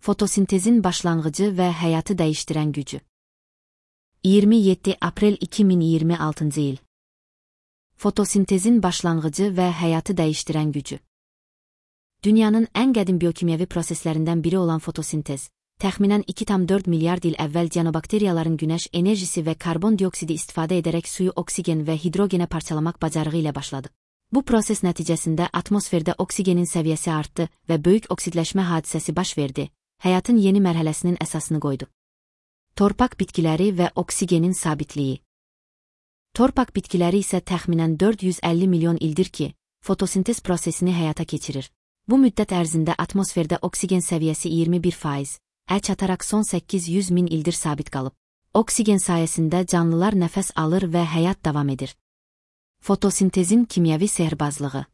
Fotosintezin başlanğıcı və həyatı dəyişdirən gücü. 27 aprel 2026 il. Fotosintezin başlanğıcı və həyatı dəyişdirən gücü. Dünyanın ən qədim biokimyəvi proseslərindən biri olan fotosintez, təxminən 2,4 milyard il əvvəl cianobakteriyaların günəş enerjisi və karbon dioksidi istifadə edərək suyu oksigen və hidrogenə parçalamaq bacarığı ilə başladı. Bu proses nəticəsində atmosferdə oksigenin səviyyəsi artdı və böyük oksidləşmə hadisəsi baş verdi, həyatın yeni mərhələsinin əsasını qoydu. Torpaq bitkiləri və oksigenin sabitliyi. Torpaq bitkiləri isə təxminən 450 milyon ildir ki, fotosintez prosesini həyata keçirir. Bu müddət ərzində atmosferdə oksigen səviyyəsi 21%, çataraq son 800 min ildir sabit qalıb. Oksigen sayəsində canlılar nəfəs alır və həyat davam edir. Fotosintezin kimyəvi sehrbazlığı.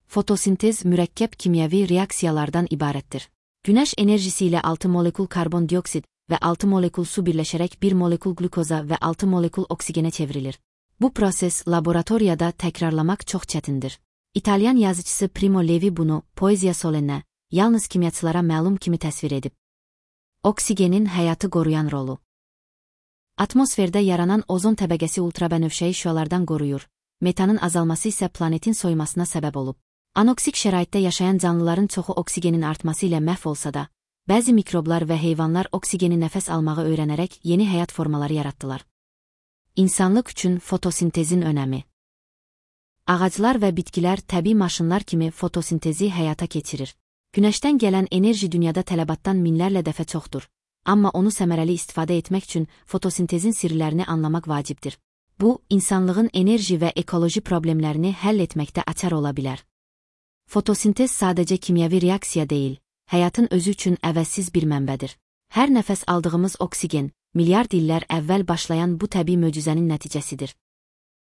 Fotosintez mürəkkəb kimyəvi reaksiyalardan ibarətdir. Günəş enerjisi ilə 6 molekul karbon dioksid və 6 molekul su birləşərək 1 molekul glukoza və 6 molekul oksigenə çevrilir. Bu proses laboratoriyada təkrarlamaq çox çətindir. İtalyan yazıcısı Primo Levi bunu Poesia Solennə, yalnız kimyaçılara məlum kimi təsvir edib. Oksigenin həyatı qoruyan rolu. Atmosferdə yaranan ozon təbəqəsi ultrabənövşəyi şüalardan qoruyur, metanın azalması isə planetin soyumasına səbəb olub. Anoksik şəraitdə yaşayan canlıların çoxu oksigenin artması ilə məhv olsa da, bəzi mikroblar və heyvanlar oksigeni nəfəs almağı öyrənərək yeni həyat formaları yaratdılar. İnsanlıq üçün fotosintezin önəmi. Ağaclar və bitkilər təbii maşınlar kimi fotosintezi həyata keçirir. Günəşdən gələn enerji dünyada tələbatdan minlərlə dəfə çoxdur, amma onu səmərəli istifadə etmək üçün fotosintezin sirlərini anlamaq vacibdir. Bu, insanlığın enerji və ekoloji problemlərini həll etməkdə açar ola bilər. Fotosintez sadəcə kimyəvi reaksiya deyil, həyatın özü üçün əvəzsiz bir mənbədir. Hər nəfəs aldığımız oksigen, milyard illər əvvəl başlayan bu təbii möcüzənin nəticəsidir.